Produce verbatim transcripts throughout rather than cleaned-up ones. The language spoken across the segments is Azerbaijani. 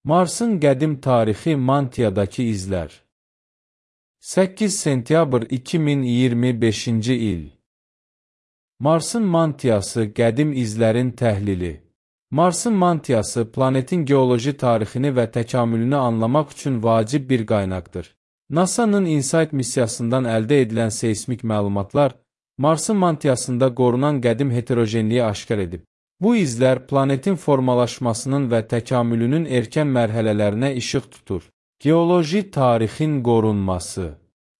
Marsın qədim tarixi Mantiyadakı izlər. səkkiz sentyabr iki min iyirmi beşinci il. Marsın mantiyası qədim izlərin təhlili. Marsın mantiyası planetin geoloji tarixini və təkamülünü anlamaq üçün vacib bir qaynaqdır. NASA'nın InSight missiyasından əldə edilən seismik məlumatlar Marsın mantiyasında qorunan qədim heterogenliyi aşkar edib. Bu izlər planetin formalaşmasının və təkamülünün erkən mərhələlərinə işıq tutur. Geoloji tarixin qorunması.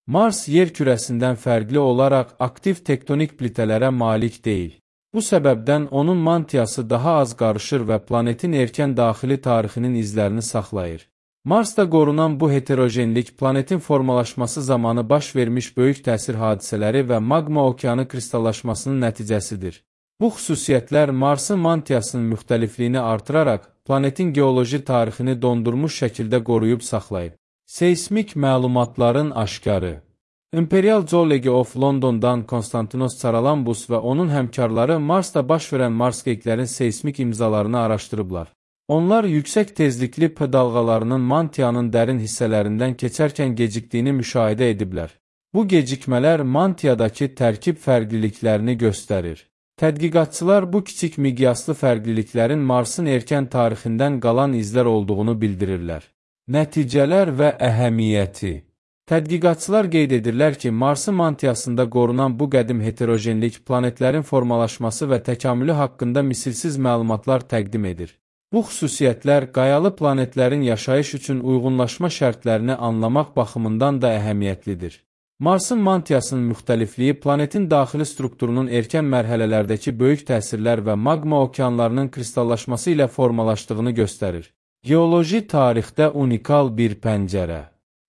Mars yer kürəsindən fərqli olaraq aktiv tektonik plitələrə malik deyil. Bu səbəbdən onun mantiyası daha az qarışır və planetin erkən daxili tarixinin izlərini saxlayır. Marsda qorunan bu heterogenlik planetin formalaşması zamanı baş vermiş böyük təsir hadisələri və maqma okeanı kristallaşmasının nəticəsidir. Bu xüsusiyyətlər Marsın mantiyasının müxtəlifliyini artıraraq planetin geoloji tarixini dondurmuş şəkildə qoruyub saxlayıb. Seismik məlumatların aşkarı. Imperial Geology of London'dan Konstantinos Charalambous və onun həmkarları Marsda baş verən marsqeyklərin seismik imzalarını araşdırıblar. Onlar yüksək tezlikli P dalğalarının mantiyanın dərin hissələrindən keçərkən gecikdiyini müşahidə ediblər. Bu gecikmələr mantiyadakı tərkib fərqliliklərini göstərir. Tədqiqatçılar bu kiçik miqyaslı fərqliliklərin Marsın erkən tarixindən qalan izlər olduğunu bildirirlər. Nəticələr və əhəmiyyəti. Tədqiqatçılar qeyd edirlər ki, Marsın mantiyasında qorunan bu qədim heterogenlik planetlərin formalaşması və təkamülü haqqında misilsiz məlumatlar təqdim edir. Bu xüsusiyyətlər qayalı planetlərin yaşayış üçün uyğunlaşma şərtlərini anlamaq baxımından da əhəmiyyətlidir. Marsın mantiyasının müxtəlifliyi planetin daxili strukturunun erkən mərhələlərdəki böyük təsirlər və maqma okeanlarının kristallaşması ilə formalaşdığını göstərir. Geoloji tarixdə unikal bir pəncərə.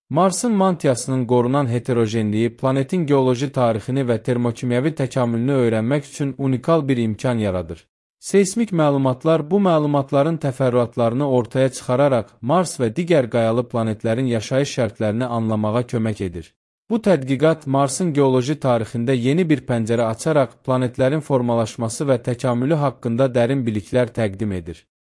Marsın mantiyasının qorunan heterogenliyi planetin geoloji tarixini və termokimyəvi təkamülünü öyrənmək üçün unikal bir imkan yaradır. Seismik məlumatlar bu məlumatların təfərrüatlarını ortaya çıxararaq Mars və digər qayalı planetlərin yaşayış şərtlərini anlamağa kömək edir. Bu tədqiqat Marsın geoloji tarixində yeni bir pəncərə açaraq planetlərin formalaşması və təkamülü haqqında dərin biliklər təqdim edir.